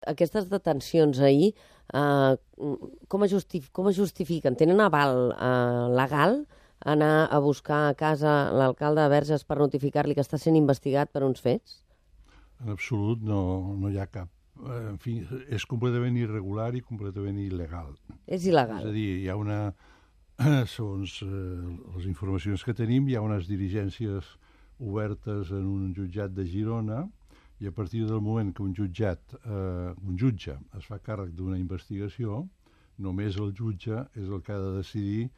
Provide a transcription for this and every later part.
Aquestes detencions ahir, com es justifiquen? Tenen aval legal anar a buscar a casa l'alcalde de Verges per notificar-li que està sent investigat per uns fets? En absolut no hi ha cap. En fi, és completament irregular i completament il·legal. És il·legal. És a dir, hi ha una... Segons les informacions que tenim, hi ha unes diligències obertes en un jutjat de Girona i a partir del moment que un jutge es fa càrrec d'una investigació, només el jutge és el que ha de decidir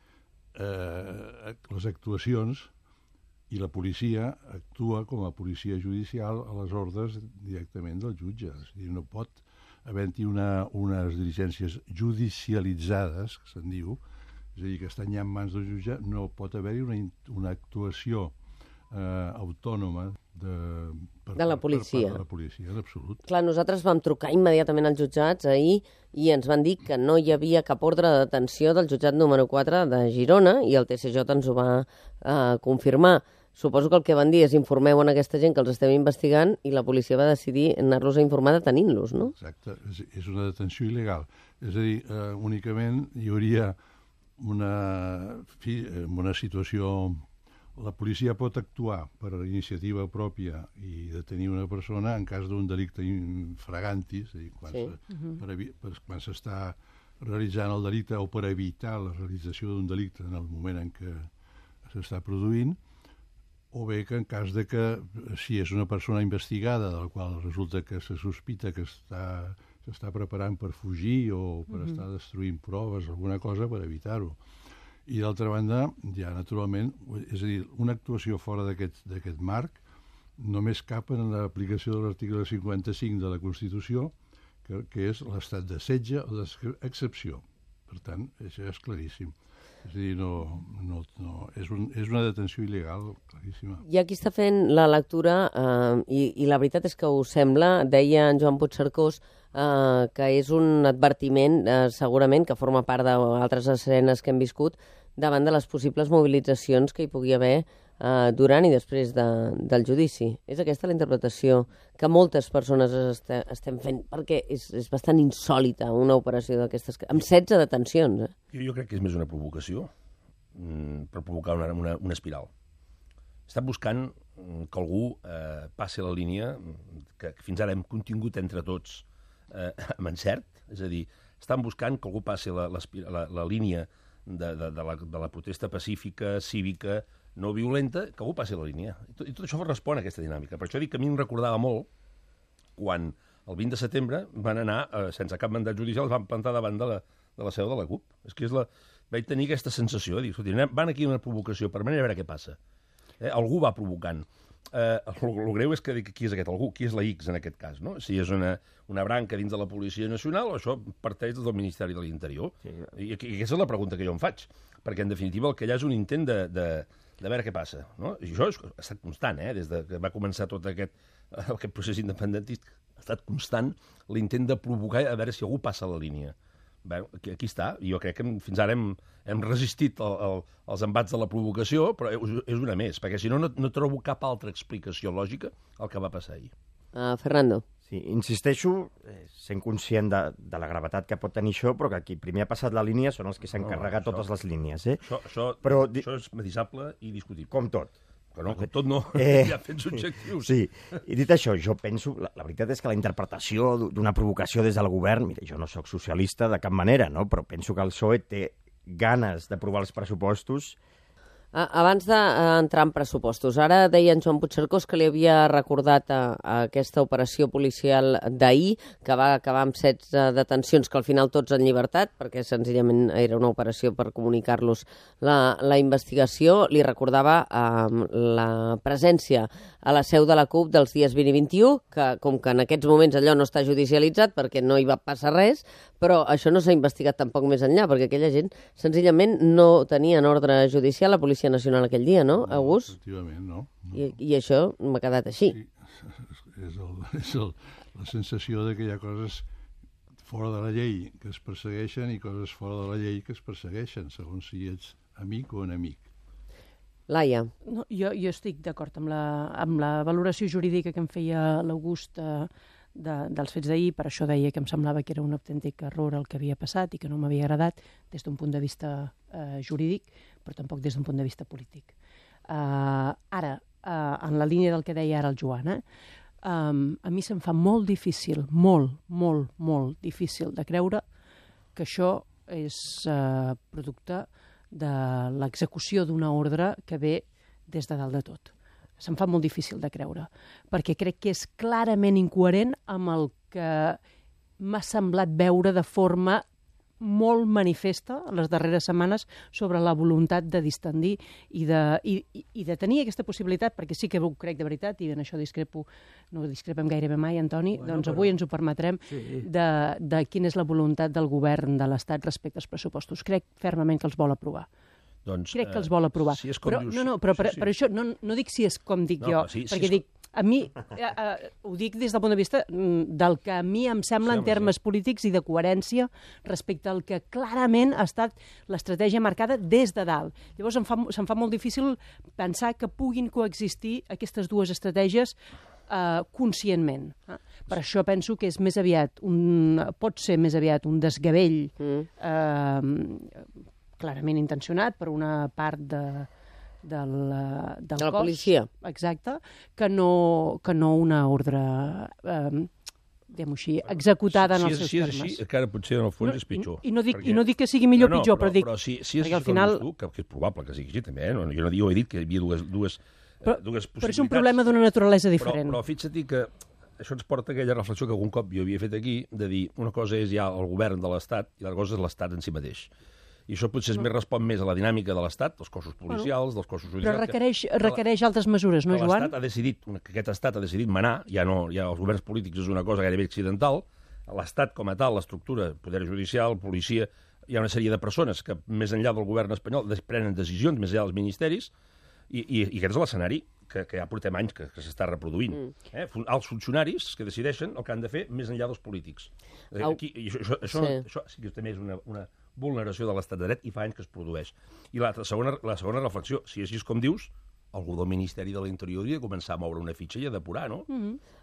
les actuacions i la policia actua com a policia judicial a les ordres directament del jutge. És a dir, no pot haver-hi unes diligències judicialitzades, que se'n diu, és a dir, que estan ja en mans del jutge, no pot haver-hi una actuació autònoma de la policia. Per la policia, en absolut. Clar, nosaltres vam trucar immediatament als jutjats ahir i ens van dir que no hi havia cap ordre de detenció del jutjat número 4 de Girona i el TSJ ens ho va confirmar. Suposo que el que van dir és informeu a aquesta gent que els estem investigant i la policia va decidir anar-los a informar detenint-los, no? Exacte, és una detenció il·legal. És a dir, únicament hi hauria una situació... La policia pot actuar per iniciativa pròpia i detenir una persona en cas d'un delicte infraganti, és a dir, quan s'està realitzant el delicte o per evitar la realització d'un delicte en el moment en què s'està produint, o bé que en cas de que, si és una persona investigada, del qual resulta que se sospita que s'està preparant per fugir o per estar destruint proves, alguna cosa per evitar-ho. I d'altra banda, ja naturalment, és a dir, una actuació fora d'aquest marc només cap en l'aplicació de l'article 55 de la Constitució, que és l'estat de setge o d'excepció. Per tant, això és claríssim. És a dir, és una detenció il·legal, claríssima. I aquí està fent la lectura, i la veritat és que us sembla, deia en Joan Puigcercós, que és un advertiment, segurament, que forma part d'altres escenes que hem viscut, davant de les possibles mobilitzacions que hi pugui haver durant i després del judici. És aquesta la interpretació que moltes persones estem fent, perquè és bastant insòlita una operació d'aquestes, amb 16 detencions. Jo crec que és més una provocació per provocar una espiral. Estan buscant que algú passi la línia que fins ara hem contingut entre tots amb encert, és a dir, estan buscant que algú passi la línia de la protesta pacífica, cívica, no violenta, que algú passi la línia. I tot això respon a aquesta dinàmica. Per això dic que a mi em recordava molt quan el 20 de setembre van anar, sense cap mandat judicial, es van plantar davant de la seu de la CUP. És que vaig tenir aquesta sensació de dir, escolti, van aquí una provocació permanent a veure què passa. Algú va provocant. El greu és que qui és aquest algú? Qui és la X en aquest cas? No? Si és una branca dins de la Policia Nacional o això parteix del Ministeri de l'Interior. Sí. I aquesta és la pregunta que jo em faig. Perquè, en definitiva, el que hi ha és un intent de veure què passa. No? I això ha estat constant, des que va començar tot aquest procés independentista. Ha estat constant l'intent de provocar a veure si algú passa la línia. Bé, aquí està. Jo crec que fins ara hem resistit els embats de la provocació, però és una més, perquè si no trobo cap altra explicació lògica al que va passar ahir. Fernando. Sí, insisteixo, sent conscient de la gravetat que pot tenir això, però que qui primer ha passat la línia són els que s'han carregat totes les línies. Això és matisable i discutible. Com tot. Però no, com tot no, hi ha fets objectius. Sí, i dit això, jo penso, la veritat és que la interpretació d'una provocació des del govern, mira, jo no sóc socialista de cap manera, no? Però penso que el PSOE té ganes d'aprovar els pressupostos. Abans d'entrar en pressupostos, ara deia en Joan Puigcercós que li havia recordat aquesta operació policial d'ahir, que va acabar amb 16 detencions, que al final tots en llibertat, perquè senzillament era una operació per comunicar-los la investigació. Li recordava la presència a la seu de la CUP dels dies 20 i 21, que com que en aquests moments allò no està judicialitzat perquè no hi va passar res, però això no s'ha investigat tampoc més enllà, perquè aquella gent senzillament no tenien ordre judicial, la Policia Nacional aquell dia, no, August? Efectivament, no. I això m'ha quedat així. Sí, és la sensació de que hi ha coses fora de la llei que es persegueixen i coses fora de la llei que es persegueixen, segons si ets amic o enemic. Laia. No, jo estic d'acord amb la valoració jurídica que em feia l'August dels fets d'ahir, per això deia que em semblava que era un autèntic error el que havia passat i que no m'havia agradat des d'un punt de vista jurídic, però tampoc des d'un punt de vista polític. Ara, en la línia del que deia ara el Joan, a mi se'm fa molt difícil, molt difícil de creure que això és producte de l'execució d'una ordre que ve des de dalt de tot. Se'm fa molt difícil de creure, perquè crec que és clarament incoherent amb el que m'ha semblat veure de forma molt manifesta en les darreres setmanes sobre la voluntat de distendir i de tenir aquesta possibilitat, perquè sí que ho crec de veritat, i en això no discrepem gairebé mai, Antoni, doncs avui ens ho permetrem, de quina és la voluntat del govern de l'Estat respecte als pressupostos. Crec fermament que els vol aprovar. Crec que els vol aprovar. Si és com però, dius... però per això no dic si és com dic jo, perquè dic, a mi, ho dic des del punt de vista del que a mi em sembla en termes polítics i de coherència respecte al que clarament ha estat l'estratègia marcada des de dalt. Llavors se'm fa molt difícil pensar que puguin coexistir aquestes dues estratègies conscientment. Per això penso que és més aviat pot ser més aviat un desgavell clarament intencionat per una part del de la cos, policia. exacte, que no una ordre, diguem-ho així, executada en els seus termes. Si és així, encara potser en el fons és pitjor. I no dic que sigui millor o pitjor, però dic... Però si és així, al final... que és probable que sigui així, també, jo no he dit que hi havia dues possibilitats. Però és un problema d'una naturalesa diferent. Però fixa't que això ens porta a aquella reflexió que algun cop jo havia fet aquí, de dir, una cosa és ja el govern de l'Estat i l'altra cosa és l'Estat en si mateix. I això potser respon més a la dinàmica de l'Estat, dels cossos policials, dels cossos judicials... Però requereix altres mesures, no, Joan? Que aquest Estat ha decidit manar, ja els governs polítics és una cosa gairebé accidental, l'Estat com a tal, l'estructura, poder judicial, policia, hi ha una sèrie de persones que, més enllà del govern espanyol, prenen decisions, més enllà dels ministeris, i aquest és l'escenari que ja portem anys que s'està reproduint. Els funcionaris que decideixen el que han de fer més enllà dels polítics. Això sí que també és una vulneració de l'estat de dret i fa anys que es produeix. I la segona reflexió, si és així com dius, algú del Ministeri de l'Interior hauria de començar a moure una fitxa i a depurar, no?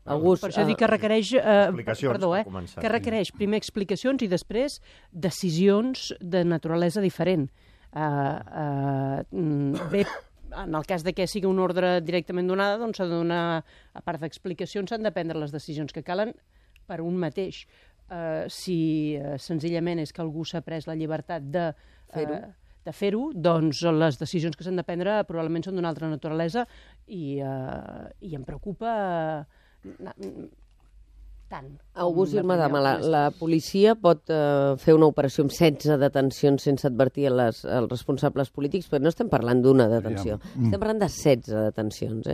August, per això dic que requereix... que requereix primer explicacions i després decisions de naturalesa diferent. Bé, en el cas de que sigui una ordre directament donada, doncs s'ha de donar, a part d'explicacions, s'han de prendre les decisions que calen per un mateix. Si senzillament és que algú s'ha pres la llibertat de fer-ho, doncs les decisions que s'han de prendre probablement són d'una altra naturalesa i em preocupa tant. August i Madama, la policia pot fer una operació amb 16 detencions sense advertir els responsables polítics, però no estem parlant d'una detenció, estem parlant de 16 detencions.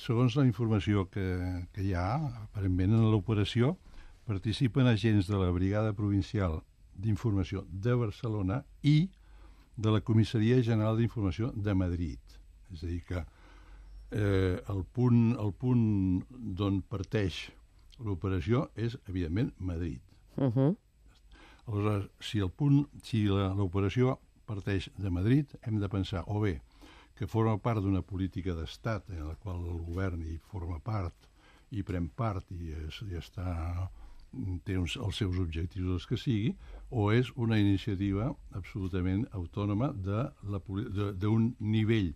Segons la informació que hi ha, aparentment en l'operació, participen agents de la Brigada Provincial d'Informació de Barcelona i de la Comissaria General d'Informació de Madrid. És a dir, que el punt d'on parteix l'operació és, evidentment, Madrid. Aleshores, si l'operació parteix de Madrid, hem de pensar o bé que forma part d'una política d'estat en la qual el govern hi forma part i pren part i té els seus objectius els que sigui, o és una iniciativa absolutament autònoma d'un nivell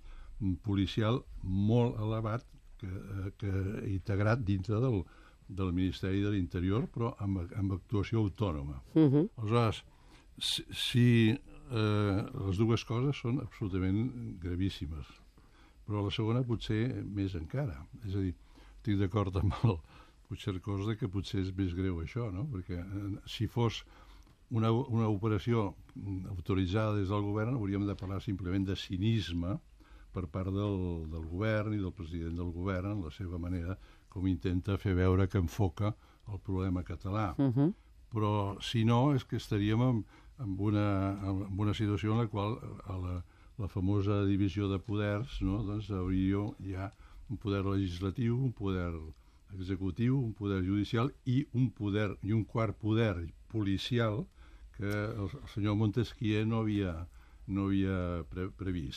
policial molt elevat que integrat dintre del Ministeri de l'Interior, però amb actuació autònoma. Aleshores, les dues coses són absolutament gravíssimes, però la segona potser més encara. És a dir, estic d'acord amb el Puigcercós que potser és més greu això, no? Perquè si fos una operació autoritzada des del govern, hauríem de parlar simplement de cinisme per part del govern i del president del govern en la seva manera com intenta fer veure que enfoca el problema català. Però si no, és que estaríem en una situació en la qual la famosa divisió de poders, no? Doncs hauria ja un poder legislatiu, un poder executiu, un poder judicial i un quart poder policial que el senyor Montesquieu no havia previst.